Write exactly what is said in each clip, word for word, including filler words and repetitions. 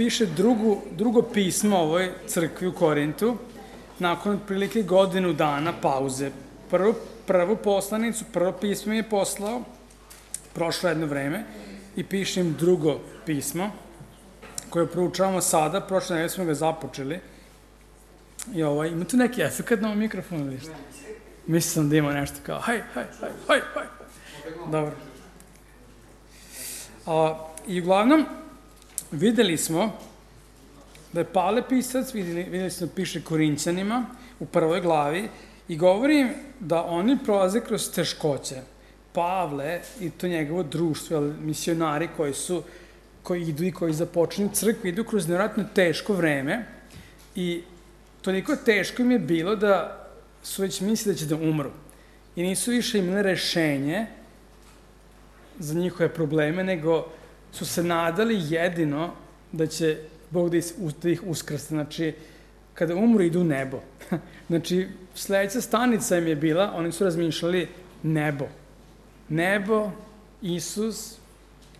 piše drugu, drugo pismo ovoj crkvi u Korintu, nakon otprilike godinu dana pauze. Prvo, prvu poslanicu, prvo pismo mi je poslao, prošlo jedno vreme, i piše im drugo pismo, koje proučavamo sada, prošle nedelje smo ga započeli. I ovaj, ima tu neki efekt na ovom mikrofonu ili šta? Mislim da ima nešto kao, haj, haj, haj, haj, haj. Dobro. A, I uglavnom, videli smo da je Pavle pisac, videli, videli smo da piše Korinćanima u prvoj glavi i govori im da oni prolaze kroz teškoće. Pavle i to njegovo društvo, misionari koji su, koji idu i koji započinju crkvu, idu kroz nevjerojatno teško vreme i toliko teško im je bilo da su već mislili da će da umru. I nisu više imali rešenje za njihove probleme, nego su se nadali jedino da će Bog da ih uskrste. Znači, kada umru, idu u nebo. Znači, sledeća stanica im je bila, oni su razmišljali nebo. Nebo, Isus,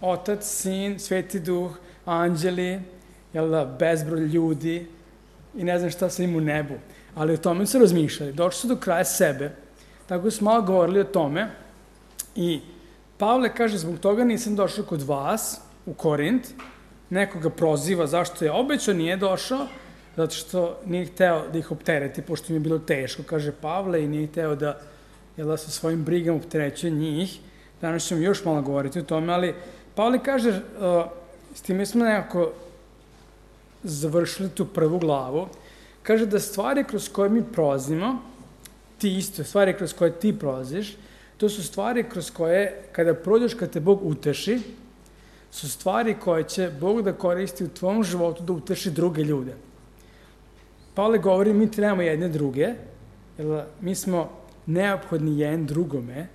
Otac, Sin, Sveti Duh, anđeli, jel da, bezbroj ljudi i ne znam šta se im u nebu. Ali o tome su razmišljali. Došli su do kraja sebe. Tako su malo govorili o tome i Pavle kaže, zbog toga nisam došao kod vas u Korint, nekoga proziva zašto je obećao, nije došao, zato što nije hteo da ih optereti, pošto im je bilo teško, kaže Pavle, i nije hteo da, jel da sa svojim brigama opterećuje njih. Danas ćemo još malo govoriti o tome, ali Pavle kaže, uh, s time smo nekako završili tu prvu glavu, kaže da stvari kroz koje mi prolazimo, ti isto, stvari kroz koje ti prolaziš, to su stvari kroz koje, kada prođeš, kad te Bog uteši, su stvari koje će Bog da koristi u tvom životu da uteši druge ljude. Pavle govori, mi trebamo jedne druge, jer mi smo neophodni jedan drugome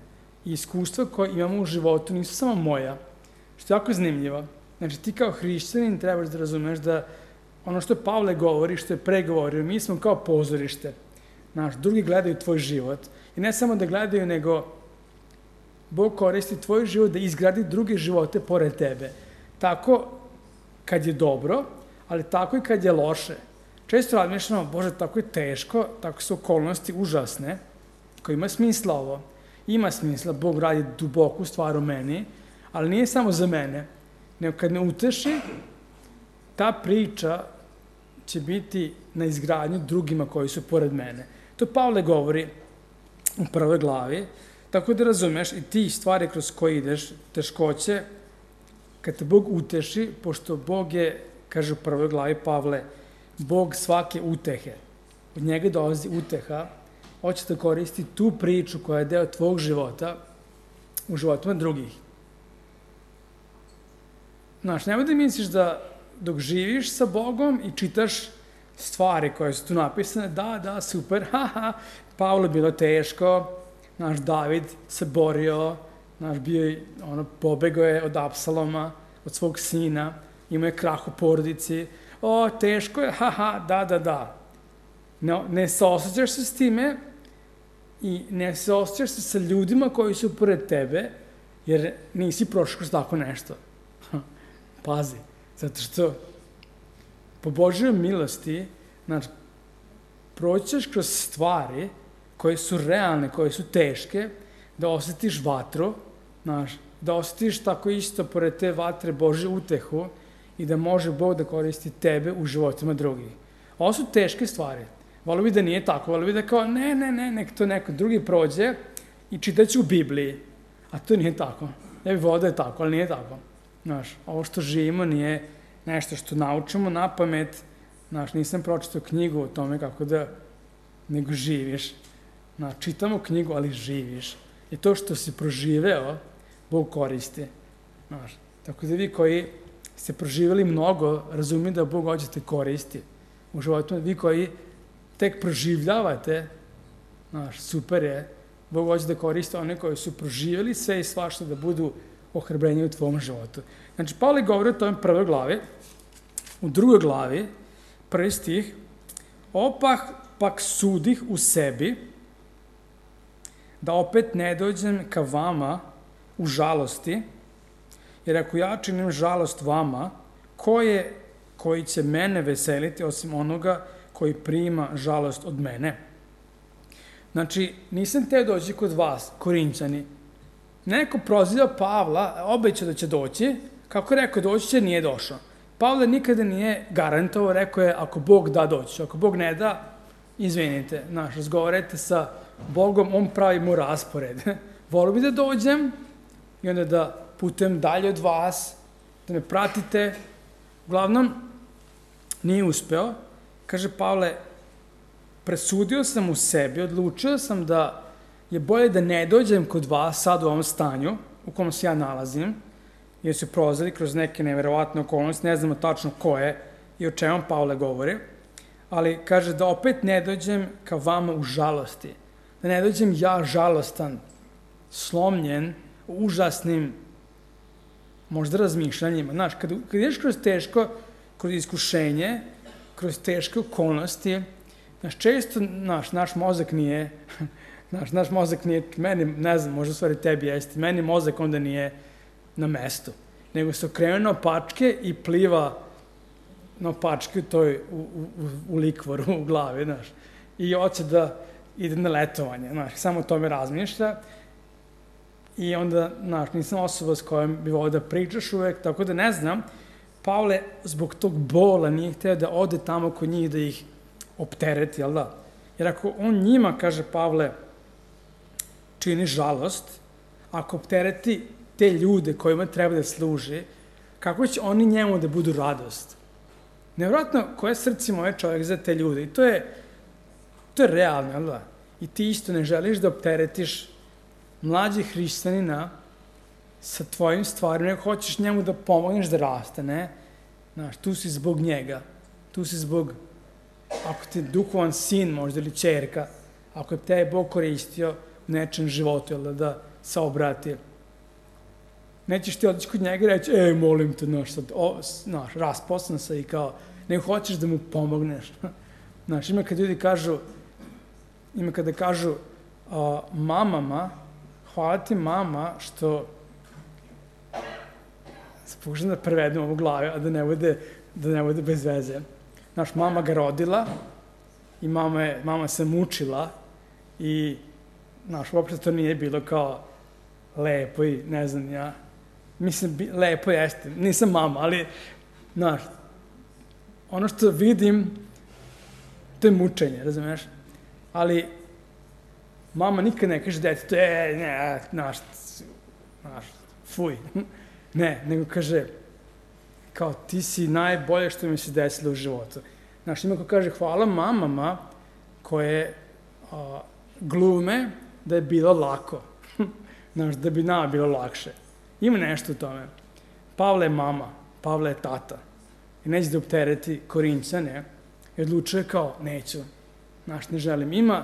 i iskustva koje imamo u životu nisu samo moja, što je jako zanimljivo. Znači, ti kao hrišćanin trebaš da razumeš da ono što Pavle govori, što je pregovorio, mi smo kao pozorište. Znaš, drugi gledaju tvoj život. I ne samo da gledaju, nego Bog koristi tvoj život da izgradi druge živote pored tebe. Tako kad je dobro, ali tako i kad je loše. Često razmišljamo, Bože, tako je teško, tako su okolnosti užasne, koji ima smisla ovo. Ima smisla, Bog radi duboku stvar u meni, ali nije samo za mene. Nego kad me uteši, ta priča će biti na izgradnju drugima koji su pored mene. To Pavle govori u prvoj glavi, tako da razumeš i ti stvari kroz koje ideš, teškoće, kad te Bog uteši, pošto Bog je, kaže u prvoj glavi Pavle, Bog svake utehe. Od njega dolazi uteha, hoće da koristi tu priču koja je deo tvog života u životima drugih. Znaš, nemoj da misliš da dok živiš sa Bogom i čitaš stvari koje su tu napisane, da, da, super, haha, Pavlo bilo teško, naš David se borio, naš bio je, ono, pobegao je od Apsaloma, od svog sina, imao je krah u porodici, o, teško je, haha, da, da, da. Ne, ne saosećaš se s time i ne saosećaš se sa ljudima koji su pored tebe, jer nisi prošao kroz tako nešto. Pazi, zato što po Božjoj milosti, znači, proćeš kroz stvari koje su realne, koje su teške, da osjetiš vatru, znaš, da osjetiš tako isto pored te vatre Božju utehu i da može Bog da koristi tebe u životima drugih. Ovo su teške stvari. Volio bi da nije tako, volio bi da kao, ne, ne, ne, nek to neko drugi prođe i čitaću u Bibliji. A to nije tako. Ja bih volio da je tako, ali nije tako. Znaš, ovo što živimo nije nešto što naučimo na pamet. Znaš, nisam pročitao knjigu o tome kako da, nego živiš. Znaš, čitamo knjigu, ali živiš. I to što si proživeo, Bog koristi. Znaš, tako da vi koji ste proživeli mnogo, razumijete da Bog hoće te koristi u životu. Vi koji tek proživljavate, znaš, super je, Bog hoće da koriste one koji su proživjeli sve i svašta da budu ohrabrenje u tvom životu. Znači, Pavle govori o tome prvoj glavi, u drugoj glavi, prvi stih, opah pak sudih u sebi, da opet ne dođem ka vama u žalosti, jer ako ja činim žalost vama, ko je, koji će mene veseliti osim onoga koji prima žalost od mene. Znači, nisam teo doći kod vas, Korinćani. Neko proziva Pavla, obećao da će doći, kako je rekao doći će, nije došao. Pavle nikada nije garantovao, rekao je ako Bog da doći, ako Bog ne da, izvinite, znaš, razgovarajte sa Bogom, on pravi mu raspored. Volio bi da dođem i onda da putujem dalje od vas, da me pratite. Uglavnom, nije uspeo. Kaže Pavle, presudio sam u sebi, odlučio sam da je bolje da ne dođem kod vas sad u ovom stanju u kom se ja nalazim, jer su prolazili kroz neke neverovatne okolnosti, ne znamo tačno ko je i o čemu Pavle govori, ali kaže da opet ne dođem ka vama u žalosti, da ne dođem ja žalostan, slomljen, užasnim, možda razmišljanjima. Znaš, kad, kad ideš kroz teško, kroz iskušenje, kroz teške okolnosti, znaš, često naš, naš mozak nije, naš, naš mozak nije, meni, ne znam, možda stvari tebi jeste, meni mozak onda nije na mestu, nego se okrene na opačke i pliva na opačke u toj, u, u, u likvoru u glavi, znaš, i hoće da ide na letovanje, znaš, samo o tome razmišlja i onda, znaš, nisam osoba s kojom bi volio da pričaš uvek, tako da ne znam, Pavle zbog tog bola nije hteo da ode tamo kod njih da ih optereti, jel da? Jer ako on njima, kaže Pavle, čini žalost, ako optereti te ljude kojima treba da služi, kako će oni njemu da budu radost? Nevjerojatno, koje srce ima ovaj čovjek za te ljude? I to je, to je realno, jel da? I ti isto ne želiš da opteretiš mlađe hrišćanina sa tvojim stvarima, nego hoćeš njemu da pomogneš da raste, ne? Znaš, tu si zbog njega. Tu si zbog, ako ti je duhovan sin možda ili ćerka, ako je te Bog koristio u nečem životu, jel da, da se obrati. Nećeš ti otići kod njega i reći, ej, molim te, znaš, sad, o, znaš, rasposlan se i kao, nego hoćeš da mu pomogneš. Znaš, ima kad ljudi kažu, ima kada kažu a, mamama, hvala ti mama što se pokušam da prevedem ovu glavu, a da ne bude, da ne bude bez veze. Znaš, mama ga rodila i mama, je, mama se mučila i, znaš, uopšte to nije bilo kao lepo i ne znam ja. Mislim, lepo jeste, nisam mama, ali, znaš, ono što vidim, to je mučenje, razumiješ? Ali, mama nikad ne kaže detetu, e, ne, znaš, znaš, fuj. Ne, nego kaže, kao, ti si najbolje što mi se desilo u životu. Znaš, ima ko kaže, hvala mamama koje a, glume da je bilo lako. Znaš, da bi nama bilo lakše. Ima nešto u tome. Pavle je mama, Pavle je tata. I neće da optereti Korinćane i odlučuje kao, neću. Znaš, ne želim. Ima,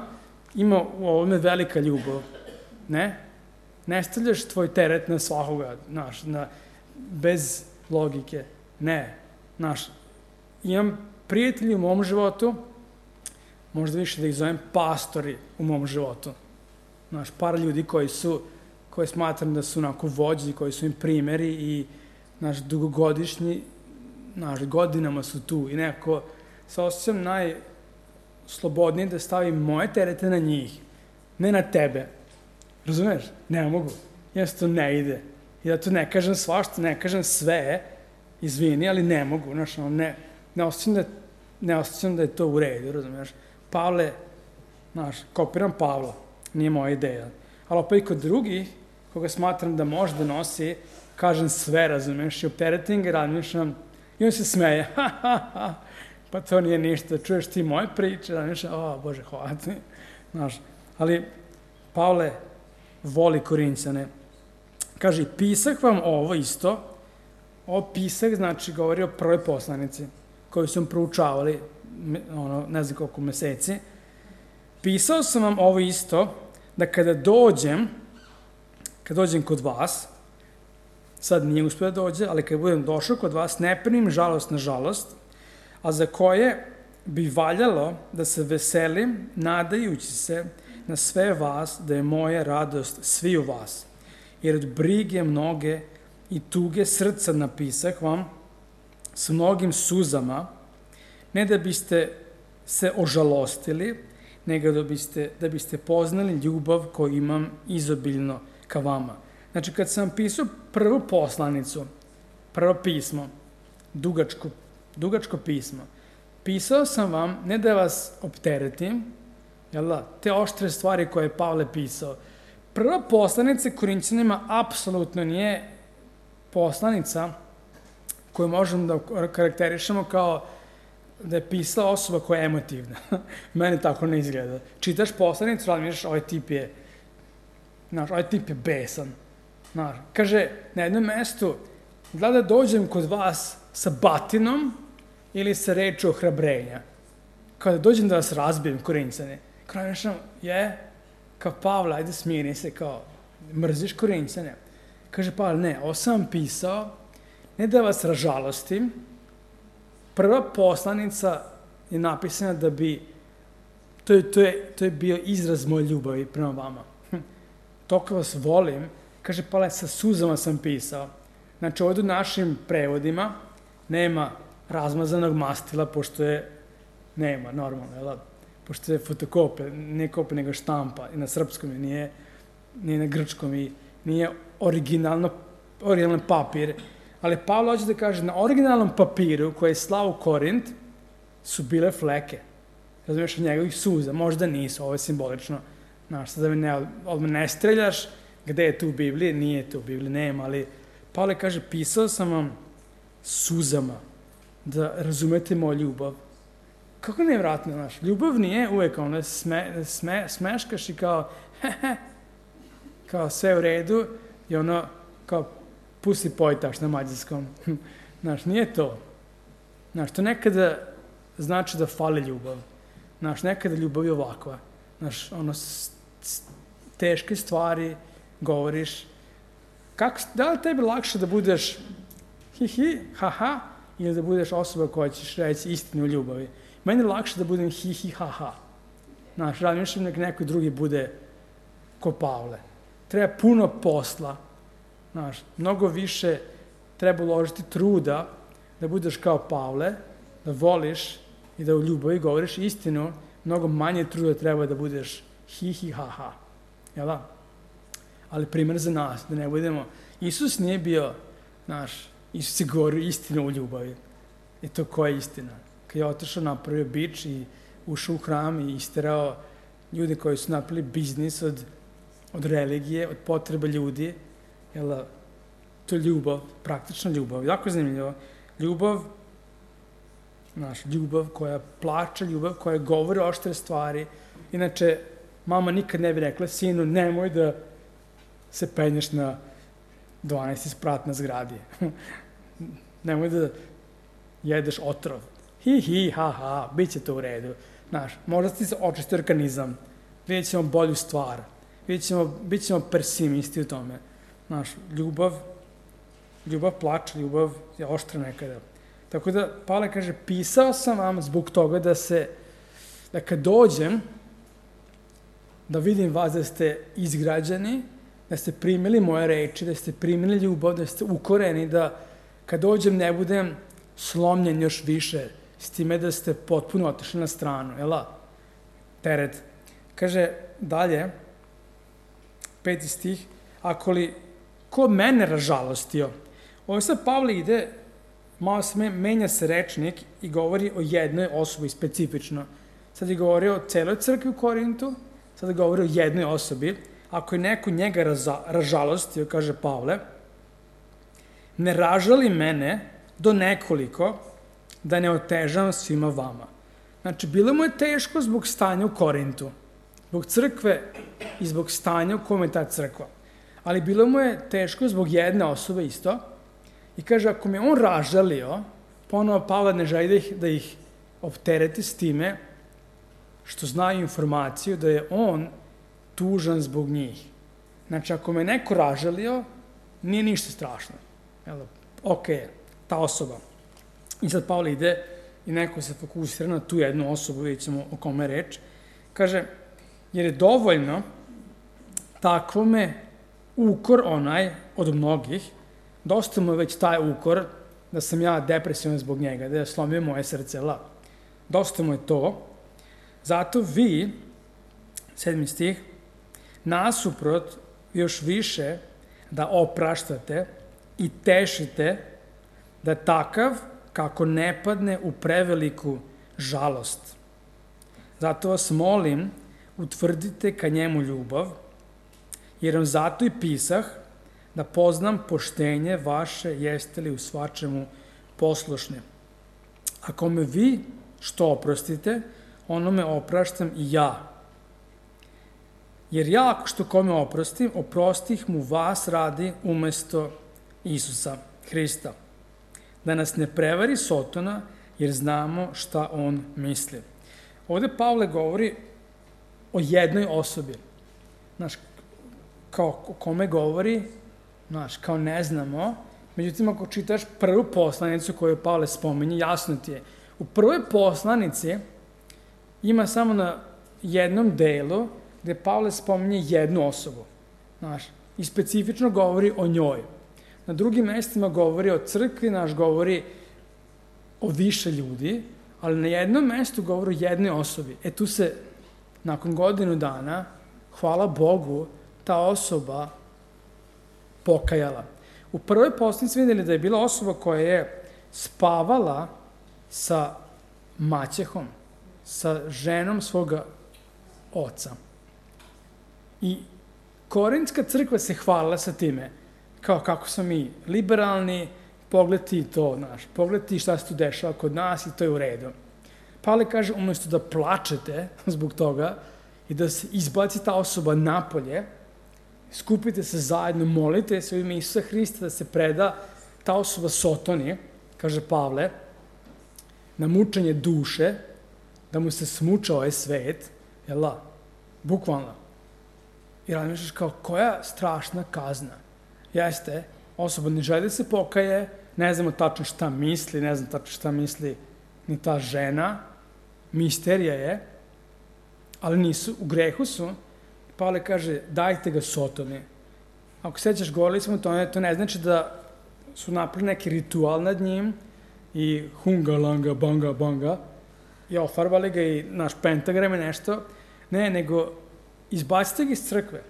ima u ovome velika ljubav. Ne? Ne stavljaš tvoj teret na svakoga, znaš, na, bez logike. Ne. Znaš, imam prijatelji u mom životu, možda više da ih zovem pastori u mom životu. Znaš, par ljudi koji su, koji smatram da su onako vođi, koji su im primeri i, znaš, dugogodišnji, znaš, godinama su tu i nekako se osjećam najslobodnije da stavim moje terete na njih, ne na tebe. Razumeš? Ne mogu. Jednostavno ne ide. I da to ne kažem svašta, ne kažem sve, izvini, ali ne mogu. Znaš, ne, ne, osjećam da, ne osjećam da je to u redu, razumeš? Pavle, znaš, kopiram Pavla, nije moja ideja. Ali opet i kod drugih, koga smatram da može da nosi, kažem sve, razumeš, i opteretim ga, razmišljam, i on se smeje, ha, ha, ha, pa to nije ništa, čuješ ti moje priče, razmišljam, o, Bože, hvala ti, znaš. Ali Pavle voli Korinćane. Kaže, pisah vam ovo isto, ovo pisah, znači, govori o prvoj poslanici, koju sam proučavali, ono, ne znam koliko meseci. Pisao sam vam ovo isto, da kada dođem, kad dođem kod vas, sad nije uspio da dođe, ali kad budem došao kod vas, ne primim žalost na žalost, a za koje bi valjalo da se veselim, nadajući se na sve vas, da je moja radost svi u vas. Jer od brige mnoge i tuge srca napisah vam s mnogim suzama, ne da biste se ožalostili, nego da biste, da biste poznali ljubav koju imam izobiljno ka vama. Znači, kad sam pisao prvu poslanicu, prvo pismo, dugačko, dugačko pismo, pisao sam vam ne da vas opteretim, jel da, te oštre stvari koje je Pavle pisao. Prva poslanica Korinćanima apsolutno nije poslanica koju možemo da karakterišemo kao da je pisala osoba koja je emotivna. Meni tako ne izgleda. Čitaš poslanicu, razmišljaš, ovaj tip je, znaš, ovaj tip je besan. Znaš, kaže, na jednom mestu, da da dođem kod vas sa batinom ili sa reču ohrabrenja. Kada dođem da vas razbijem, Korinćane, kao nešto, je, kao Pavle, ajde smiri se, kao, mrziš Korinćane. Kaže Pavle, ne, ovo sam pisao, ne da vas ražalostim, prva poslanica je napisana da bi, to je, to je, to je bio izraz moje ljubavi prema vama. Toliko vas volim, kaže Pavle, sa suzama sam pisao. Znači, ovdje u našim prevodima nema razmazanog mastila, pošto je, nema, normalno, jel? Pošto je fotokopija, ne kopija, nego štampa, i na srpskom je, nije, nije na grčkom, i nije originalno, originalno papir. Ali Pavle hoće da kaže, na originalnom papiru koji je slao u Korint su bile fleke. Razumiješ, od njegovih suza. Možda nisu, ovo je simbolično. Znaš, sad da me ne, odmah ne streljaš, gde je tu u Bibliji? Nije tu u Bibliji, nema, ali Pavle kaže, pisao sam vam suzama da razumete moju ljubav. Kako nevratno, znaš, ljubav nije uvek ono, sme, sme, smeškaš i kao, hehe, kao sve u redu i ono, kao, pusti pojtaš na mađarskom. Znaš, nije to. Znaš, to nekada znači da fali ljubav. Znaš, nekada ljubav je ovakva. Znaš, ono, s, s, teške stvari govoriš. Kako, da li tebi lakše da budeš hi hi, ha ha, ili da budeš osoba koja ćeš reći istinu u ljubavi? Meni je lakše da budem hi hi, ha ha. Znaš, razmišljam nek neko drugi bude ko Pavle. Treba puno posla. Znaš, mnogo više treba uložiti truda da budeš kao Pavle, da voliš i da u ljubavi govoriš istinu, mnogo manje truda treba da budeš hi hi ha ha. Jel da? Ali primjer za nas, da ne budemo, Isus nije bio, znaš, Isus je govorio istinu u ljubavi. I to koja je istina? Kad je otišao, napravio bič i ušao u hram i isterao ljude koji su napravili biznis od, od religije, od potreba ljudi, jel, to je ljubav, praktična ljubav, jako zanimljivo. Ljubav, znaš, ljubav koja plače, ljubav koja govori oštre stvari. Inače, mama nikad ne bi rekla, sinu, nemoj da se penješ na dvanaesti sprat na zgradi. Nemoj da jedeš otrov. Hi, hi, ha, ha, bit će to u redu. Znaš, možda ti se očisti organizam, vidjet ćemo bolju stvar, vidjet ćemo, bit ćemo pesimisti u tome. Znaš, ljubav, ljubav plače, ljubav je oštra nekada. Tako da, Pavle kaže, pisao sam vam zbog toga da se, da kad dođem, da vidim vas da ste izgrađeni, da ste primili moje reči, da ste primili ljubav, da ste ukoreni, da kad dođem ne budem slomljen još više, s time da ste potpuno otišli na stranu, jel da? Teret. Kaže dalje, peti stih, ako li ko mene ražalostio, ovo sad Pavle ide, malo se menja se rečnik i govori o jednoj osobi specifično. Sad je govorio o celoj crkvi u Korintu, sad je govorio o jednoj osobi. Ako je neko njega raza, ražalostio, kaže Pavle, ne ražali mene do nekoliko da ne otežam svima vama. Znači, bilo mu je teško zbog stanja u Korintu, zbog crkve i zbog stanja u kome je ta crkva. Ali bilo mu je teško zbog jedne osobe isto. I kaže, ako me on ražalio, ponovo Pavle ne želi da ih, da ih optereti s time što znaju informaciju da je on tužan zbog njih. Znači, ako me neko ražalio, nije ništa strašno. Jel, ok, ta osoba. I sad Pavle ide i neko se fokusira na tu jednu osobu, vidjet ćemo o kome je reč. Kaže, jer je dovoljno takvome ukor onaj od mnogih, dosta mu je već taj ukor, da sam ja depresivan zbog njega, da je slomio moje srce. La. Dosta mu je to. Zato vi, sedmi stih, nasuprot još više da opraštate i tešite da takav kako ne padne u preveliku žalost. Zato vas molim, utvrdite ka njemu ljubav, jer vam zato i pisah da poznam poštenje vaše, jeste li u svačemu poslušni. Ako me vi što oprostite, ono me opraštam i ja. Jer ja, ako što kome oprostim, oprostih mu vas radi umesto Isusa Hrista. Da nas ne prevari Sotona, jer znamo šta on misli. Ovde Pavle govori o jednoj osobi. Znaš, kao o kome govori, znaš, kao ne znamo. Međutim, ako čitaš prvu poslanicu koju Pavle spominje, jasno ti je. U prvoj poslanici ima samo na jednom delu gde Pavle spominje jednu osobu. Znaš, i specifično govori o njoj. Na drugim mestima govori o crkvi, naš govori o više ljudi, ali na jednom mestu govori o jednoj osobi. E tu se, nakon godinu dana, hvala Bogu, ta osoba pokajala. U prvoj poslanici vidjeli da je bila osoba koja je spavala sa maćehom, sa ženom svoga oca. I Korintska crkva se hvalila sa time, kao kako smo mi liberalni, pogledaj to, znaš, pogledaj šta se tu dešava kod nas i to je u redu. Pavle kaže, umjesto da plačete zbog toga i da se izbaci ta osoba napolje, skupite se zajedno, molite se u ime Isusa Hrista da se preda ta osoba Sotoni, kaže Pavle, na mučenje duše, da mu se smuča ovaj svet, jel da? Bukvalno. I razmišljaš kao, koja strašna kazna. Jeste, osoba ne želi da se pokaje, ne znamo tačno šta misli, ne znam tačno šta misli ni ta žena, misterija je, ali nisu, u grehu su. Pavle kaže, dajte ga Sotoni. Ako sećaš, govorili smo to, to ne znači da su napravili neki ritual nad njim i hunga, langa, banga, banga, i ofarbali ga i naš pentagram i nešto. Ne, nego izbacite ga iz crkve.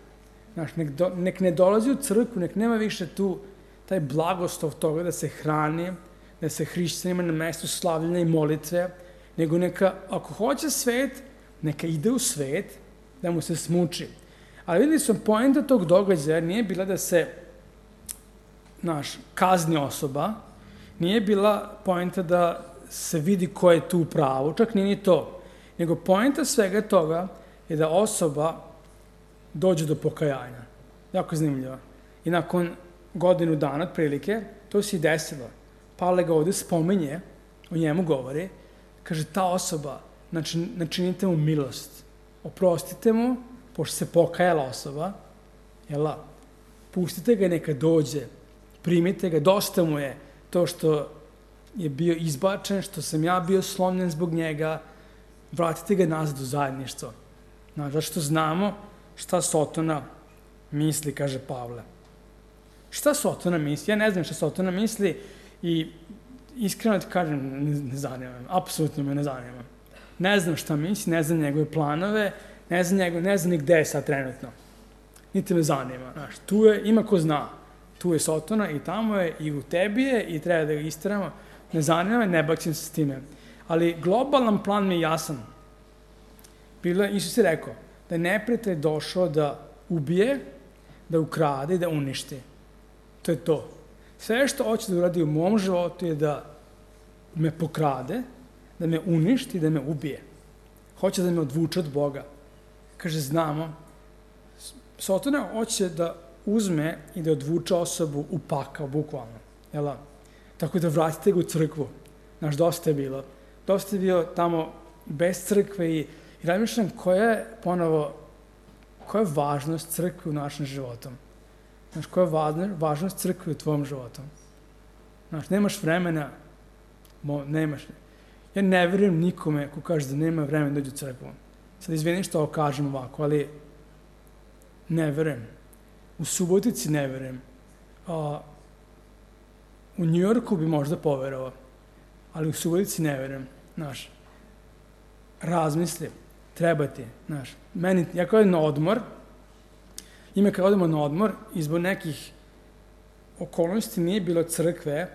Znaš, nek, do, nek ne dolazi u crkvu, nek nema više tu taj blagoslov toga da se hrani, da se hrišćanima na mestu slavljenja i molitve, nego neka, ako hoće svet, neka ide u svet, da mu se smuči. Ali videli smo, poenta tog događaja nije bila da se, znaš, kazni osoba, nije bila poenta da se vidi ko je tu u pravu, čak nije ni to, nego poenta svega toga je da osoba dođe do pokajanja. Jako zanimljivo. I nakon godinu dana, otprilike, to se i desilo. Pavle ga ovde spominje, o njemu govori, kaže, ta osoba, znači, načinite mu milost, oprostite mu, pošto se pokajala osoba, jel, pustite ga neka dođe, primite ga, dosta mu je to što je bio izbačen, što sam ja bio slomljen zbog njega, vratite ga nazad u zajedništvo. Znaš, zato što znamo šta Sotona misli, kaže Pavle. Šta Sotona misli? Ja ne znam šta Sotona misli i iskreno ti kažem, ne, ne zanima me, apsolutno me ne zanima. Ne znam šta misli, ne znam njegove planove, ne znam, njegove, ne znam ni gde je sad trenutno. Niti me zanima. Znaš, tu je, ima ko zna. Tu je Sotona i tamo je i u tebi je i treba da ga istiramo. Ne zanima me, ne bakćem se s time. Ali globalan plan mi je jasan. Bilo, Isus je rekao da je neprijatelj došao da ubije, da ukrade i da uništi. To je to. Sve što hoće da uradi u mom životu je da me pokrade, da me uništi, da me ubije. Hoće da me odvuče od Boga. Kaže, znamo, Sotona hoće da uzme i da odvuče osobu u pakao, bukvalno. Jel? Tako da vratite ga u crkvu. Znaš, dosta je bilo. Dosta je bio tamo bez crkve i I razmišljam koja je, ponovo, koja je važnost crkve u našem životu. Znaš, koja je važnost crkve u tvojom životu. Znaš, nemaš vremena, mo, nemaš. Ja ne vjerujem nikome ko kaže da nema vremena da dođe u crkvu. Sad izvinim što ovo kažem ovako, ali ne vjerujem. U Subotici ne vjerujem. A, u Njujorku bi možda poverovao, ali u Subotici ne verujem, znaš. Razmisli, treba ti, znaš. Meni, ja kao na odmor, ime kad odemo na odmor, izbog nekih okolnosti nije bilo crkve,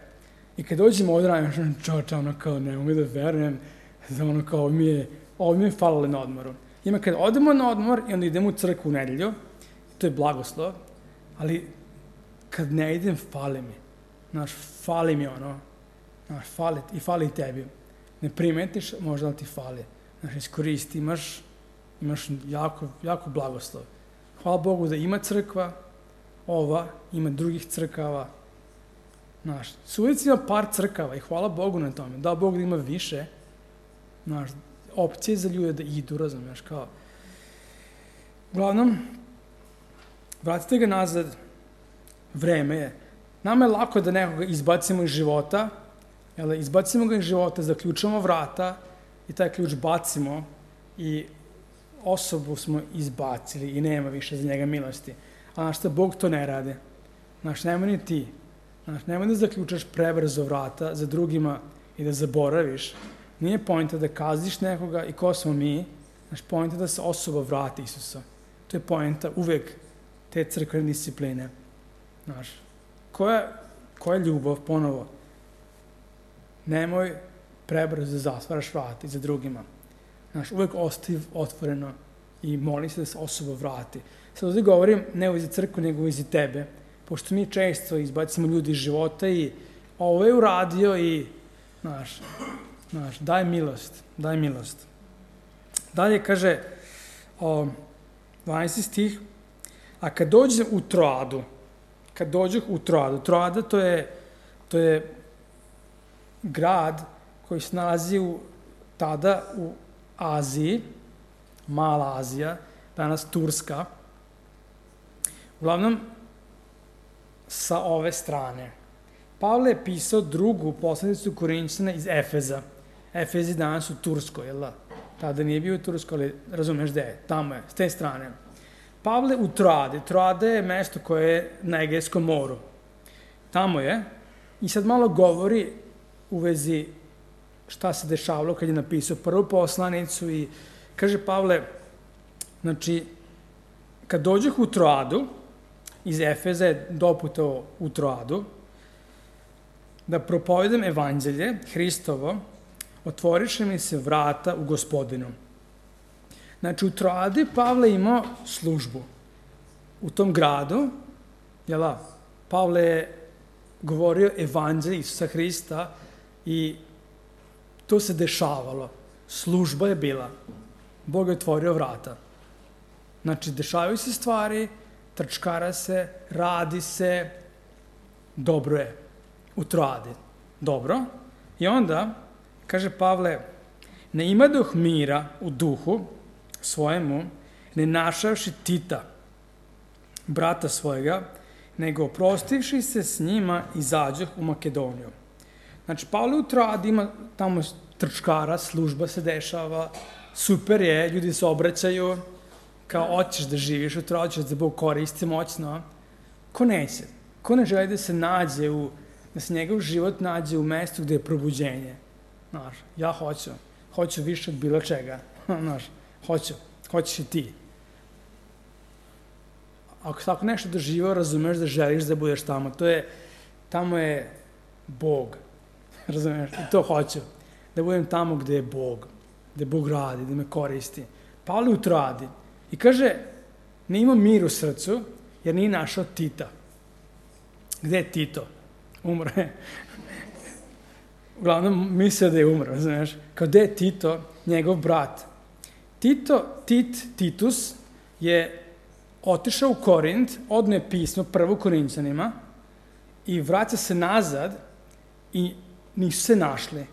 i kad dođemo ovdje radim, čoča, ono kao, ne mogu da verujem, da ono kao, ovo mi je, ovo mi je falilo na odmoru. Ima kad odemo na odmor i onda idemo u crkvu u nedelju, to je blagoslov, ali kad ne idem, fali mi. Znaš, fali mi ono, znaš, fali, i fali tebi. Ne primetiš, možda li ti fali. Znaš, iskoristi, imaš, imaš jako, jako blagoslov. Hvala Bogu da ima crkva, ova, ima drugih crkava. Znaš, Subotica ima par crkava i hvala Bogu na tome. Da Bog da ima više, znaš, opcije za ljude da idu, razumiješ, kao. Uglavnom, vratite ga nazad, vreme je. Nama je lako da nekoga izbacimo iz života, jel, izbacimo ga iz života, zaključamo vrata i taj ključ bacimo i osobu smo izbacili i nema više za njega milosti. A znaš šta, Bog to ne radi. Znaš, nemoj ni ti. Znaš, nemoj da zaključaš prebrzo vrata za drugima i da zaboraviš. Nije poenta da kaziš nekoga i ko smo mi. Znaš, poenta da se osoba vrati Isusa. To je poenta uvek te crkvene discipline. Znaš, koja, koja ljubav, ponovo, nemoj prebrzo da zatvaraš vrata i za drugima. Znaš, uvek ostavi otvoreno i moli se da se osoba vrati. Sad ovdje govorim ne u vezi crkve, nego u vezi tebe, pošto mi često izbacimo ljudi iz života i ovo je uradio i, znaš, znaš, daj milost, daj milost. Dalje kaže, o, dvanaesti stih, a kad dođe u Troadu, kad dođe u Troadu, Troada to je, to je grad koji se nalazi u, tada u Aziji, Mala Azija, danas Turska, uglavnom sa ove strane. Pavle je pisao drugu poslanicu Korinćana iz Efeza. Efez je danas u Turskoj, jel da? Tada nije bio u Turskoj, ali razumeš gde je, tamo je, s te strane. Pavle u Troadi. Troada je mesto koje je na Egejskom moru. Tamo je. I sad malo govori u vezi šta se dešavalo kad je napisao prvu poslanicu i kaže Pavle, znači, kad dođeh u Troadu, iz Efeza je doputao u Troadu, da propovedam evanđelje Hristovo, otvoriše mi se vrata u Gospodinu. Znači, u Troadi Pavle imao službu. U tom gradu, jel da, Pavle je govorio evanđelje Isusa Hrista i to se dešavalo. Služba je bila. Bog je otvorio vrata. Znači, dešavaju se stvari, trčkara se, radi se, dobro je. U Troadi. Dobro. I onda, kaže Pavle, ne imadoh mira u duhu svojemu, ne našavši Tita, brata svojega, nego oprostivši se s njima izađoh u Makedoniju. Znači, Pavle u Troadi ima tamo trčkara, služba se dešava, super je, ljudi se obraćaju, kao hoćeš da živiš u Troadi, hoćeš da Bog koristi moćno. Ko neće? Ko ne želi da se nađe u, da se njegov život nađe u mestu gde je probuđenje? Znaš, ja hoću. Hoću više od bilo čega. Znaš, hoću. Hoćeš i ti. Ako tako nešto doživao, razumeš da želiš da budeš tamo. To je, tamo je Bog. Razumeš? I to hoću. Da budem tamo gde je Bog. Gde Bog radi, da me koristi. Pavle u Troadi. I kaže, ne ima mir u srcu, jer nije našao Tita. Gde je Tito? Umro je. Uglavnom, mislio da je umro, znaš. Kao gde je Tito, njegov brat. Tito, Tit, Titus, je otišao u Korint, odneo je pismo prvo Korinćanima i vraća se nazad i nisu se našli.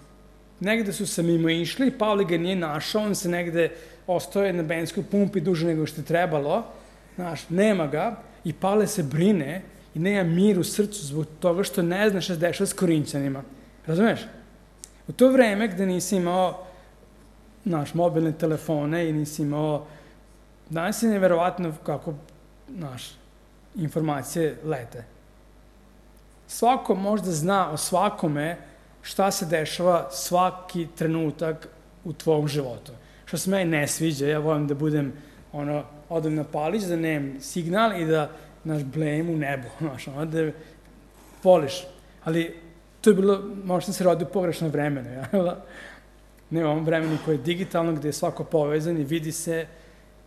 Negde su se mimo išli, Pavle ga nije našao, on se negde ostoje na benzinskoj pumpi duže nego što je trebalo, znaš, nema ga i Pavle se brine i nema mir u srcu zbog toga što ne zna šta se dešava s Korinćanima. Razumeš? U to vreme gde nisi imao naš, mobilne telefone i nisi imao, danas je neverovatno kako naš, informacije lete. svako možda zna o svakome šta se dešava svaki trenutak u tvom životu. Što se meni ne sviđa, ja volim da budem, ono, odem na palić, da nemam signal i da, naš, blejem u nebo, znaš, ono, da poliš. Ali to je bilo, možda se rodi u pogrešno vremenu, ja? Ne u ovom vremenu koje je digitalno, gde je svako povezan i vidi se.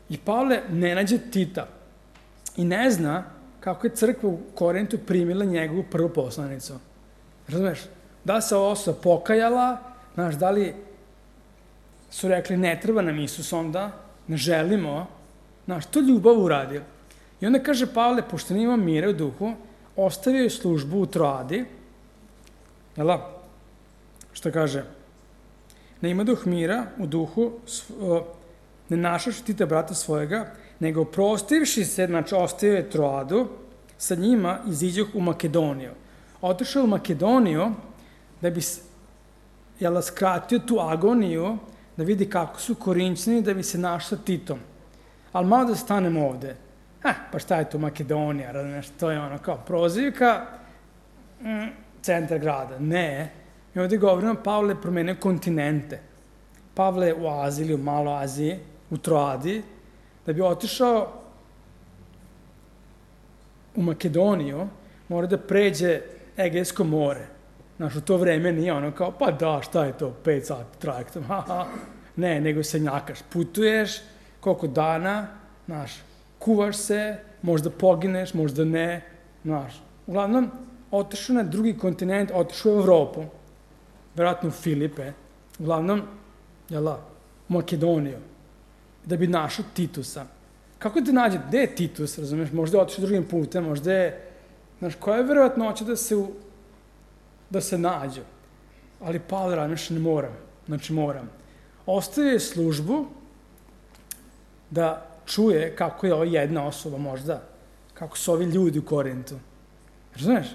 I Pavle ne nađe Tita i ne zna kako je crkva u Korintu primila njegovu prvu poslanicu. Razumeš? Da se ova osoba pokajala, znaš, da li su rekli ne treba nam Isus onda, ne želimo, znaš, to ljubav uradio. I onda kaže Pavle, pošto nima mira u duhu, ostavio je službu u Troadi, jel' što kaže, ne ima duh mira u duhu, ne našavši Tita brata svojega, nego prostivši se, znači ostavio je Troadu, sa njima iziđoh u Makedoniju. Otišao u Makedoniju da bi jel, skratio tu agoniju, da vidi kako su Korinćani, da bi se našao sa Titom. Ali malo da stanemo ovde. Ha, pa šta je to Makedonija, razumiješ, to je ono kao prozivka, mm, centar grada. Ne, mi ovde govorimo, Pavle je promenio kontinente. Pavle je u Aziji ili u Maloj Aziji, u Troadi, da bi otišao u Makedoniju, mora da pređe Egejsko more. Znaš, u to vreme nije ono kao, pa da, šta je to, pet sati trajektom, haha. Ne, nego se njakaš, putuješ, koliko dana, znaš, kuvaš se, možda pogineš, možda ne, znaš. Uglavnom, otišao na drugi kontinent, otišao u Evropu, verovatno u Filipe, uglavnom, jela, u Makedoniju, da bi našao Titusa. Kako te nađe? Gde je Titus, razumeš? Možda je otišao drugim putem, možda je, znaš, koja je verovatnoća da se, u, da se nađu? Ali Pavle razmišlja, ne moram, znači moram. Ostavio je službu da čuje kako je ova jedna osoba možda, kako su ovi ljudi u Korintu. Razumeš?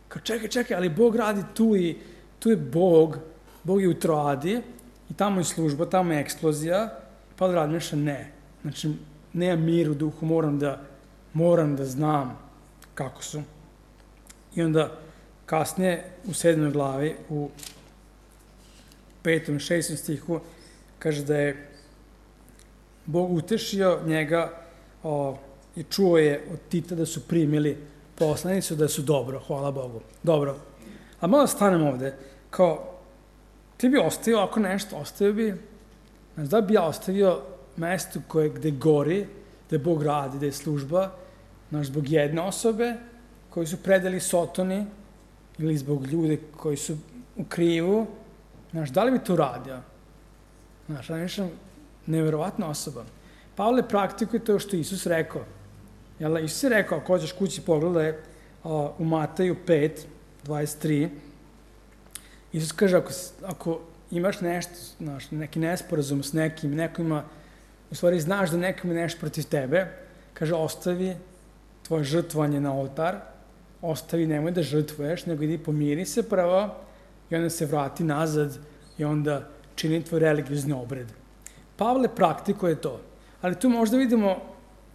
Kao čekaj, čekaj, ali Bog radi tu i tu je Bog, Bog je u Troadi i tamo je služba, tamo je eksplozija. Pavle razmišlja, ne. Znači, nema mir u duhu, moram da, moram da znam kako su. I onda kasnije u sedmoj glavi, u petom i šestom stihu, kaže da je Bog utešio njega o, i čuo je od Tita da su primili poslanicu, da su dobro, hvala Bogu. Dobro. A malo stanem ovde, kao, ti bi ostavio ovako nešto, ostavio bi, znači da bi ja ostavio mesto koje, gde gori, gde Bog radi, gde je služba, znači zbog jedne osobe koji su predali Sotoni ili zbog ljude koji su u krivu, znači da li bi to radio? Znači, ja mislim, neverovatna osoba. Pavle praktikuje to što Isus rekao. Jel, Isus je rekao, ako hoćeš kući pogledaj, u Mataju pet, dvadeset tri, Isus kaže, ako, ako imaš nešto, znaš, neki nesporazum s nekim, neko ima, u stvari znaš da neko ima nešto protiv tebe, kaže, ostavi tvoje žrtvovanje na oltar, ostavi, nemoj da žrtvuješ, nego idi pomiri se prvo i onda se vrati nazad i onda čini tvoj religiozni obred. Pavle praktikuje to, ali tu možda vidimo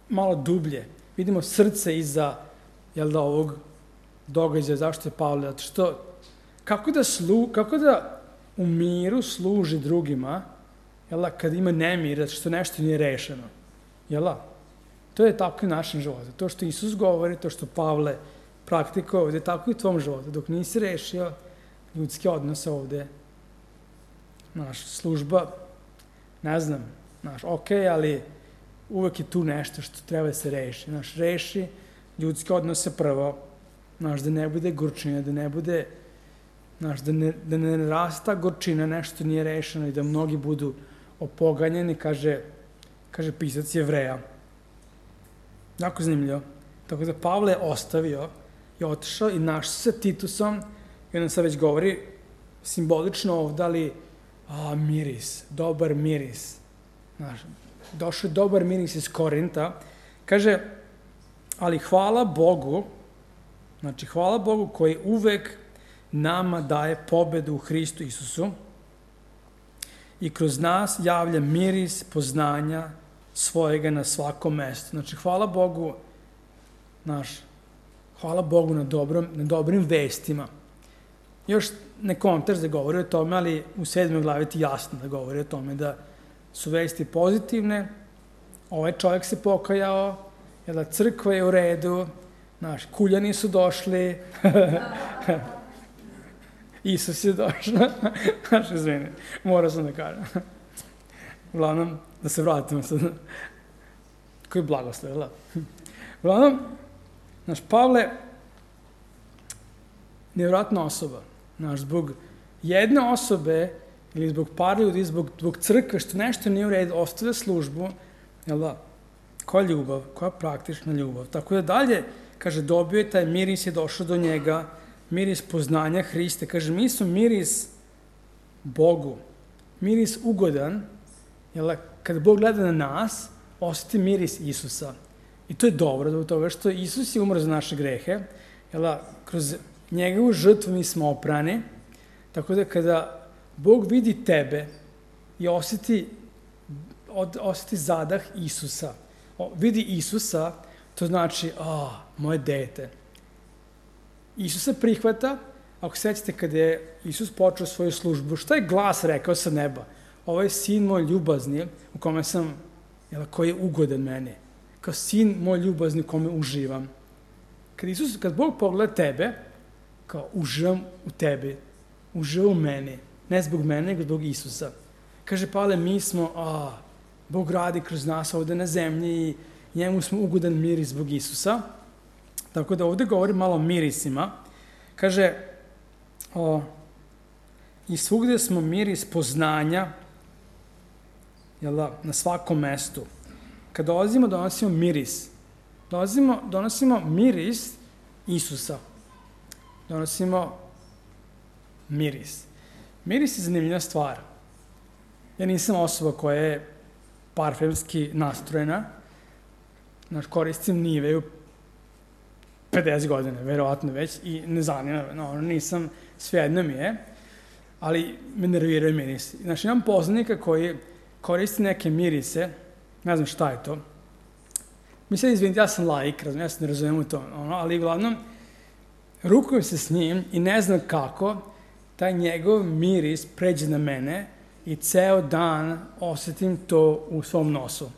malo dublje, vidimo srce iza, jel da, ovog događaja, zašto je Pavle, zato što, kako da, slu, kako da u miru služi drugima, jel da, kad ima nemir, zato što nešto nije rešeno, jel da? To je tako i u našem životu. To što Isus govori, to što Pavle praktikuje ovde, tako i u tvom životu. Dok nisi rešio ljudske odnose ovde, naš služba, ne znam, naš, ok, ali uvek je tu nešto što treba da se reši. Naš, reši ljudske odnose prvo, naš, da ne bude gorčina, da ne bude, naš, da ne, da ne rasta gorčina, nešto nije rešeno i da mnogi budu opoganjeni, kaže, kaže pisac Jevreja. Jako zanimljivo. Tako da Pavle je ostavio i otišao i našao se sa Titusom i on sad već govori simbolično ovdje, ali a, miris, dobar miris. Znaš, došao je dobar miris iz Korinta. Kaže, ali hvala Bogu, znači hvala Bogu koji uvek nama daje pobedu u Hristu Isusu i kroz nas javlja miris poznanja svojega na svakom mestu. Znači, hvala Bogu, naš, hvala Bogu na, dobrom, na dobrim vestima. Još ne kontekst da govori o tome, ali u sedmoj glavi ti jasno da govori o tome da su vesti pozitivne, ovaj čovjek se pokajao, jel da crkva je u redu, naši kuljani su došli, Isus je došao, znaš, izvini, morao sam da kažem. Uglavnom, da se vratimo sad, koji blagoslov, jel da? Uglavnom, naš Pavle, nevjerojatna osoba, naš, zbog jedne osobe, ili zbog par ljudi, zbog, zbog crkve, što nešto nije u redu, ostavlja službu, jel da? Koja ljubav, koja praktična ljubav. Tako da dalje, kaže, dobio je taj miris, je došao do njega, miris poznanja Hriste. Kaže, mi smo miris Bogu, miris ugodan, jel da? Kada Bog gleda na nas, osjeti miris Isusa. I to je dobro, zbog toga što Isus je umro za naše grehe, jel da? Kroz njegovu žrtvu mi smo oprani, tako da kada Bog vidi tebe i osjeti, od, osjeti zadah Isusa, o, vidi Isusa, to znači, a, moje dete. Isus se prihvata, ako sećate kada je Isus počeo svoju službu, šta je glas rekao sa neba? Ovo je sin moj ljubazni, u kome sam, jel, koji je ugodan meni. Kao sin moj ljubazni u kome uživam. Kad Isus, kad Bog pogleda tebe, kao uživam u tebi, uživam u meni, ne zbog mene, nego zbog Isusa. Kaže Pavle, mi smo, a, Bog radi kroz nas ovde na zemlji i njemu smo ugodan miris zbog Isusa. Tako da ovde govori malo o mirisima. Kaže, o, i svugde smo miris poznanja, jel da, na svakom mestu. Kad dolazimo, donosimo miris. Dolazimo, donosimo miris Isusa. Donosimo miris. Miris je zanimljiva stvar. Ja nisam osoba koja je parfemski nastrojena. Znaš, koristim Niveu pedeset godine, verovatno već, i ne zanima, no, nisam, svejedno mi je, ali me nerviraju mirisi. Znaš, imam poznanika koji koristi neke mirise, ne znam šta je to. Mislim, izvinite, ja sam laik, ja se ne razumijem u to, ono, ali uglavnom, rukujem se s njim i ne znam kako taj njegov miris pređe na mene i ceo dan osjetim to u svom nosu.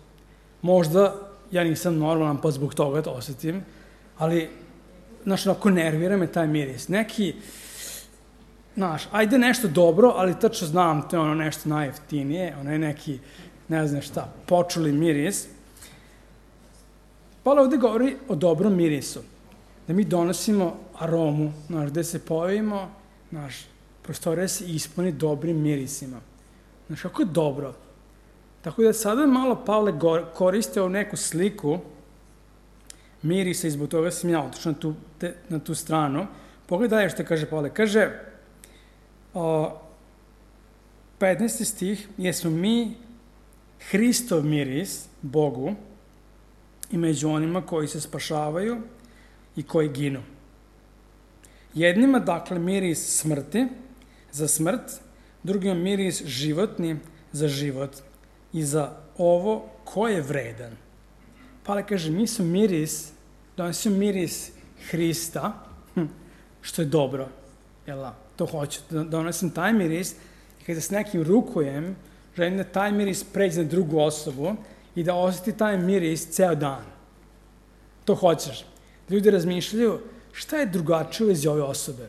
Možda ja nisam normalan pa zbog toga to osjetim, ali, znaš, onako nervira me taj miris. Neki, znaš, ajde nešto dobro, ali tačno znam, to je ono nešto najjeftinije, ono je neki, ne znam šta, počuli miris. Pavle ovde govori o dobrom mirisu, da mi donosimo aromu, znaš, gde se pojavimo, znaš, prostorija se ispuni dobrim mirisima. Znaš, kako je dobro. Tako da sada malo Pavle koriste ovu neku sliku mirisa i zbog toga sam ja otišao na tu, te, na tu stranu. Pogledaj što kaže Pavle. Kaže, o, petnaesti stih, jesmo mi Hristov miris Bogu i među onima koji se spašavaju i koji ginu. Jednima, dakle, miris smrti za smrt, drugima miris životni za život i za ovo ko je vredan. Pavle kaže, mi smo miris, donosimo miris Hrista, što je dobro, jel da, to hoću, donosim taj miris i kada s nekim rukujem, želim da taj miris pređe na drugu osobu i da osjeti taj miris ceo dan. To hoćeš. Ljudi razmišljaju, šta je drugačije u vezi ove osobe?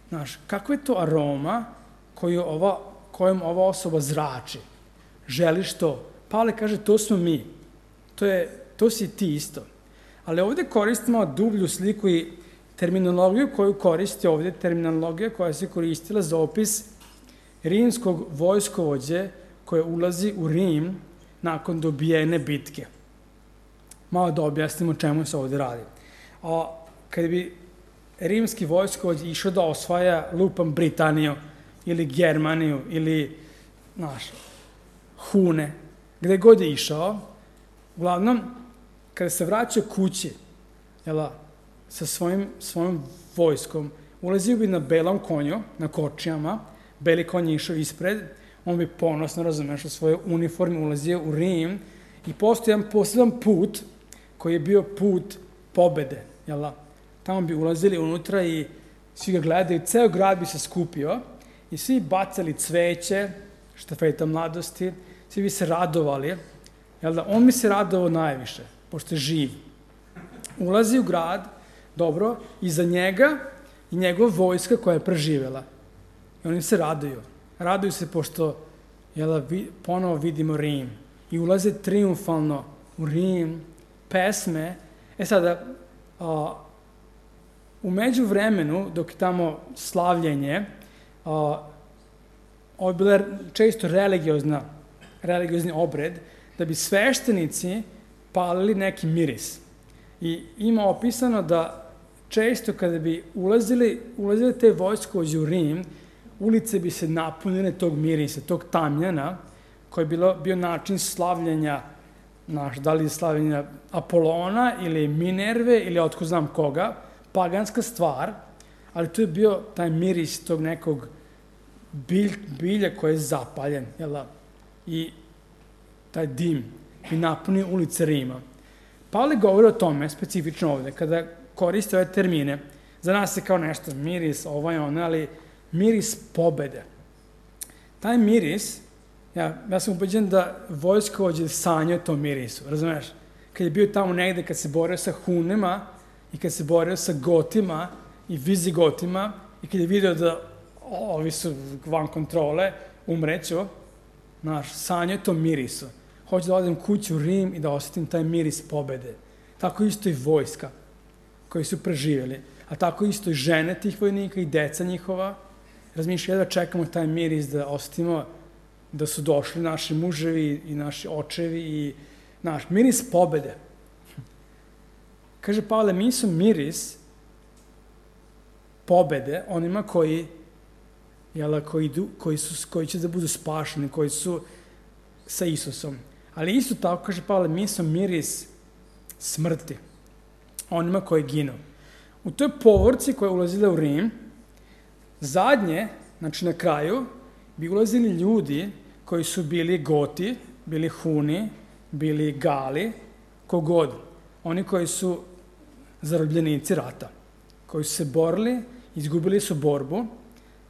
Znaš, kakva je to aroma koju ova, kojom ova osoba zrači? Želiš to? Pavle kaže, to smo mi. To, je, to si ti isto. Ali ovde koristimo dublju sliku i terminologiju koju koristi ovde, terminologija koja se koristila za opis rimskog vojskovođe koje ulazi u Rim nakon dobijene bitke. Malo da objasnimo čemu se ovde radi. A kada bi rimski vojskovođ išao da osvaja lupam Britaniju ili Germaniju ili, znaš, Hune, gde god je išao, uglavnom, kada se vraća kući, jela, sa svojim, svojim vojskom, ulazio bi na belom konju, na kočijama, beli konj je išao ispred, on bi ponosno, razumeš, u svojoj uniformi ulazio u Rim i postoji jedan poseban put koji je bio put pobede, jela. tamo bi ulazili unutra i svi ga gledaju, ceo grad bi se skupio i svi bacali cveće, štafeta mladosti, svi bi se radovali, jel da, on bi se radovao najviše, pošto je živ. Ulazi u grad, dobro, iza njega i njegova vojska koja je preživela. I oni se raduju. Raduju se pošto, jel da, vi, ponovo vidimo Rim. I ulaze triumfalno u Rim, pesme. E sada, a, u međuvremenu, dok je tamo slavljenje, a, ovo je bila često religiozna, religiozni obred, da bi sveštenici palili neki miris. I ima opisano da često kada bi ulazili, ulazili te vojskovođe u Rim, ulice bi se napunile tog mirisa, tog tamjana, koji je bilo, bio način slavljenja, naš, da li slavljenja Apolona ili Minerve ili otko znam koga, paganska stvar, ali to je bio taj miris tog nekog bilj, bilja koji je zapaljen, jel da? I taj dim bi napunio ulice Rima. Pavle govori o tome, specifično ovde, kada koriste ove termine, za nas je kao nešto miris, ovaj ono, ali miris pobede. Taj miris, ja, ja sam ubeđen da vojskovođe sanjao tom mirisu, razumeš? Kad je bio tamo negde, kad se borio sa Hunima i kad se borio sa Gotima i Vizigotima i kad je video da o, ovi su van kontrole, umreću, znaš, sanjao tom mirisu. Hoću da odem kući u Rim i da osetim taj miris pobede. Tako isto i vojska koji su preživjeli, a tako isto i žene tih vojnika i deca njihova. Razmišljaju da čekamo taj miris da osetimo da su došli naši muževi i naši očevi i naš miris pobede. Kaže Pavle, mi su miris pobede onima koji, jela, koji, idu, koji, su, koji će da budu spašeni, koji su sa Isusom. Ali isto tako, kaže Pavle, mi su miris smrti onima koji ginu. U toj povorci koja je ulazila u Rim, zadnje, znači na kraju, bi ulazili ljudi koji su bili Goti, bili Huni, bili Gali, kogod. Oni koji su zarobljenici rata, koji su se borili, izgubili su borbu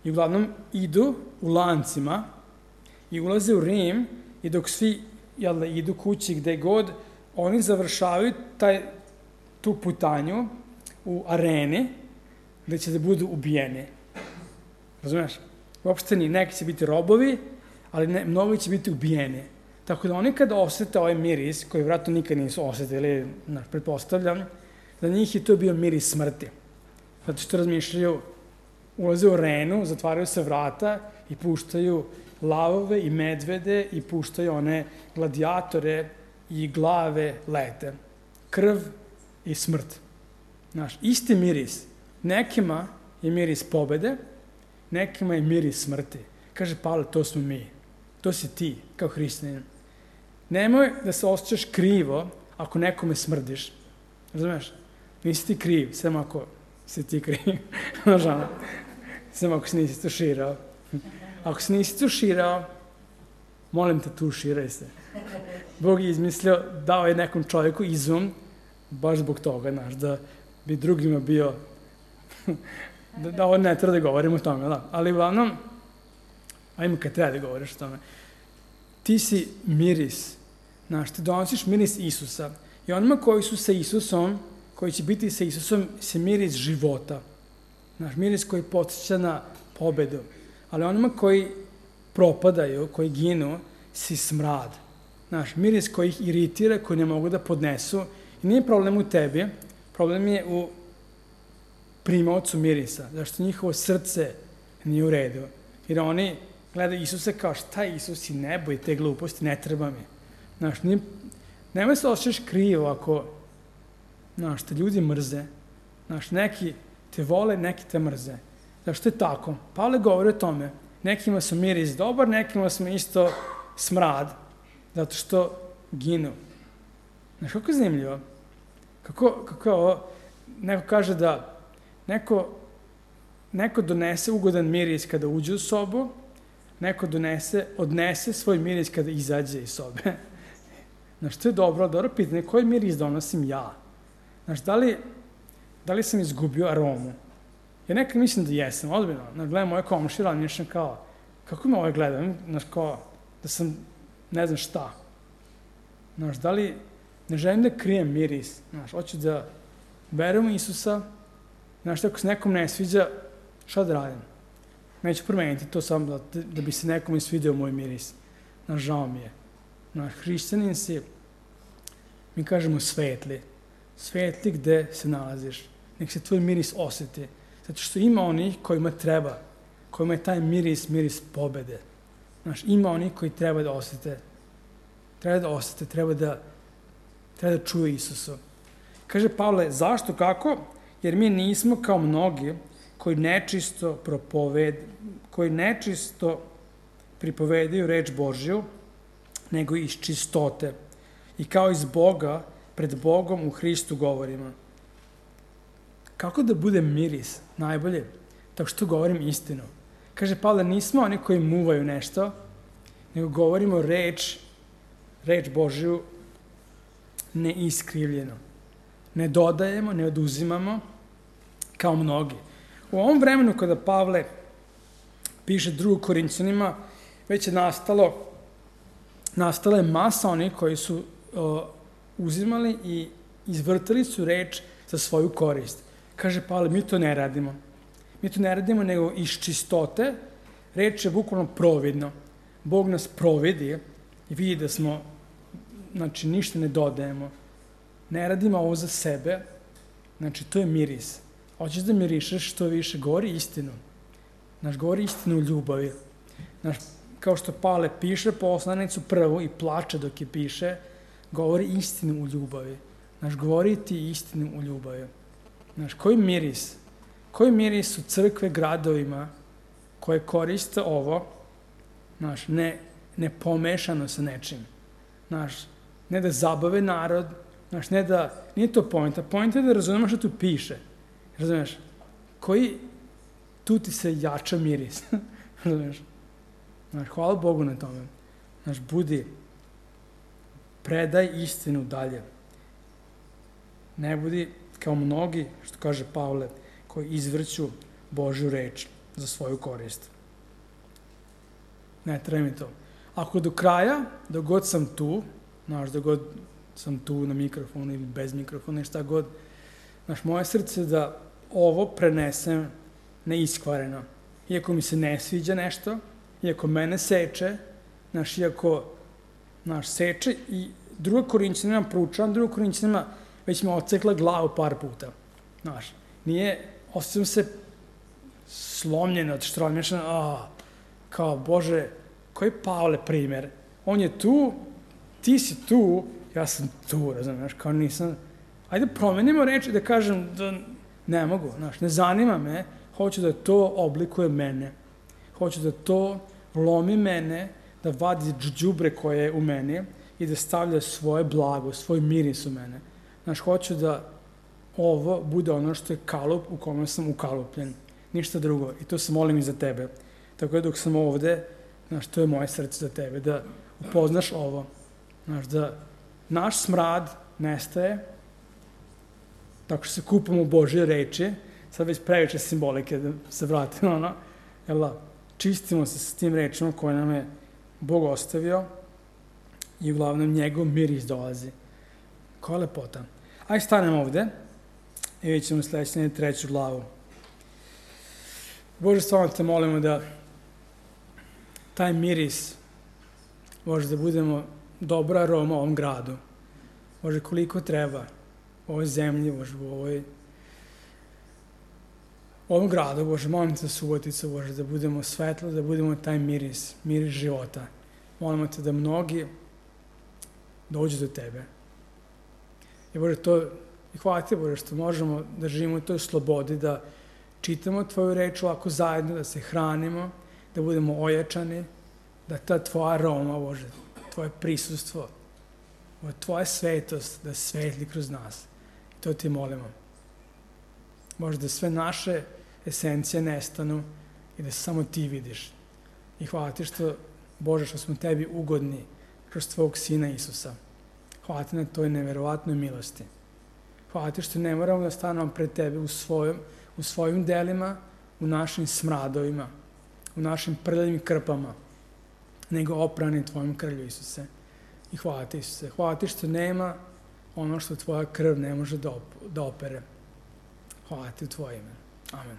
i uglavnom idu u lancima i ulaze u Rim i dok svi jel da, idu kući gde god, oni završavaju taj, tu putanju u areni gde će da budu ubijeni. Razumeš? Uopšte ni, neki će biti robovi, ali ne, mnogi će biti ubijeni. Tako da oni kada osete ovaj miris, koji vratno nikad nisu osetili, ne, pretpostavljam, za njih je to bio miris smrti. Zato što razmišljaju, ulaze u arenu, zatvaraju se vrata i puštaju lavove i medvede i puštaju one gladiatore i glave lete. Krv i smrt. Znaš, isti miris. Nekima je miris pobede, nekima je miris smrti. Kaže Pavle, to smo mi. To si ti, kao hrišćanin. Nemoj da se osjećaš krivo ako nekome smrdiš. Razumeš? Nisi ti kriv, samo ako si ti kriv. Nažalno. Samo ako se nisi tuširao. Ako se nisi tuširao, molim te, tuširaj se. Bog je izmislio, dao je nekom čovjeku izum, baš zbog toga, znaš, da bi drugima bio, da, da ovo ne treba da govorimo o tome, da. Ali uglavnom, ajmo kad treba da govoriš o tome, ti si miris, znaš, ti donosiš miris Isusa i onima koji su sa Isusom, koji će biti sa Isusom, se miris života, znaš, miris koji podsjeća na pobedu. Ali onima koji propadaju, koji ginu, si smrad. Znaš, miris koji ih iritira, koji ne mogu da podnesu. I nije problem u tebi, problem je u primaocu mirisa, zašto njihovo srce nije u redu. Jer oni gledaju Isusa kao šta je Isus i nebo i te gluposti, ne treba mi. Znaš, nije, nemoj se osjećaš krivo ako, znaš, te ljudi mrze. Znaš, neki te vole, neki te mrze. Zašto je tako? Pavle govori o tome. Nekima su miris dobar, nekima smo isto smrad, zato što ginu. Znaš, kako je zanimljivo? Kako, kako je ovo? Neko kaže da neko, neko donese ugodan miris kada uđe u sobu, neko donese, odnese svoj miris kada izađe iz sobe. Znaš, to je dobro, dobro pitanje, koji miris donosim ja? Znaš, da li, Da li sam izgubio aromu? Ja nekad mislim da jesam, odbiljno. Znaš, gledam moje komšije, razmišljam kao, kako me ovaj gleda? Znaš, kao, da sam, ne znam šta. Znaš, da li, ne želim da krijem miris. Znaš, hoću da verujem u Isusa. Znaš, ako se nekom ne sviđa, šta da radim? Neću promeniti to samo da, da bi se nekom svidio moj miris. Znaš, žao mi je. Znaš, hrišćanin si, mi kažemo svetli. Svetli gde se nalaziš. Nek se tvoj miris osjeti. Zato što ima onih kojima treba, kojima je taj miris, miris pobede. Znaš, ima onih koji treba da osjete. Treba da osjete, treba da, treba da čuje Isusu. Kaže Pavle, zašto, kako? Jer mi nismo kao mnogi koji nečisto propoved, koji nečisto pripovedaju reč Božju, nego iz čistote. I kao iz Boga, pred Bogom u Hristu govorimo. Kako da bude miris? Najbolje, tako što govorim istinu. Kaže Pavle, nismo oni koji muvaju nešto, nego govorimo reč, reč Božju neiskrivljeno. Ne dodajemo, ne oduzimamo, kao mnogi. U ovom vremenu kada Pavle piše drugom Korinćanima, već je nastalo, nastala je masa onih koji su uh, uzimali i izvrtali su reč za svoju korist. Kaže Pavle, mi to ne radimo. Mi to ne radimo nego iz čistote. Reč je bukvalno providno. Bog nas providi i vidi da smo, znači, ništa ne dodajemo. Ne radimo ovo za sebe. Znači, to je miris. Hoćeš da mirišeš što više, govori istinu. Znaš, govori istinu u ljubavi. Znaš, kao što Pavle piše poslanicu prvu i plače dok je piše, govori istinu u ljubavi. Znaš, govori ti istinu u ljubavi. Znaš, koji miris? Koji miris u crkve gradovima koje koriste ovo, znaš, ne, ne pomešano sa nečim. Znaš, ne da zabave narod, znaš, ne da, nije to pojenta. Pojenta je da razumeš što tu piše. Razumeš? Koji tu ti se jača miris. Razumeš? Znaš, hvala Bogu na tome. Znaš, budi, predaj istinu dalje. Ne budi kao mnogi, što kaže Pavle, koji izvrću Božju reč za svoju korist. Ne treba mi to. Ako do kraja, dok god sam tu, znaš, dok god sam tu na mikrofonu ili bez mikrofona, šta god, znaš, moje srce da ovo prenesem neiskvareno. Iako mi se ne sviđa nešto, iako mene seče, znaš, iako, znaš, seče i druga Korinćanima proučavam, druga Korinćanima već me odsekla glavu par puta. Znaš, nije, osjećam se slomljeno, odštromješan, a, kao, Bože, koji je Pavle primer? On je tu, ti si tu, ja sam tu, razumiješ, kao nisam, ajde promenimo reči da kažem da ne mogu, znaš, ne zanima me, hoću da to oblikuje mene, hoću da to lomi mene, da vadi đubre koje je u meni i da stavlja svoje blago, svoj miris u mene. Znaš, hoću da ovo bude ono što je kalup u kome sam ukalupljen. Ništa drugo. I to se molim i za tebe. Tako da dok sam ovde, znaš, to je moje srce za tebe, da upoznaš ovo. Znaš, da naš smrad nestaje tako što se kupamo u Božje reči, sad već previše simbolike da se vratimo, ono, jel da, čistimo se s tim rečima koje nam je Bog ostavio i uglavnom njegov miris dolazi. Koja lepota. Ajde stanemo ovde i vidjet ćemo sledeće treću glavu. Bože, stvarno te molimo da taj miris, Bože, da budemo dobra aroma u ovom gradu. Bože, koliko treba u ovoj zemlji, Bože, u ovoj u ovom gradu, Bože, molim te za Suboticu, Bože, da budemo svetlo, da budemo taj miris, miris života. Molimo te da mnogi dođu do tebe. I Bože, to, i hvala ti, Bože, što možemo da živimo u toj slobodi, da čitamo tvoju reč ovako zajedno, da se hranimo, da budemo ojačani, da ta tvoja aroma, Bože, tvoje prisustvo, tvoja svetost, da svetli kroz nas. I to ti molimo. Bože, da sve naše esencije nestanu i da samo ti vidiš. I hvala ti što, Bože, što smo tebi ugodni kroz tvojeg Sina Isusa. Hvala ti na toj neverovatnoj milosti. Hvala Hvala ti što ne moramo da stanemo pred tebe u, svojom, u svojim delima, u našim smradovima, u našim prljavim krpama, nego oprani tvojom krvlju, Isuse. I hvala ti, Isuse. Hvala ti što nema ono što tvoja krv ne može da, op da opere. Hvala ti u tvoje ime. Amen.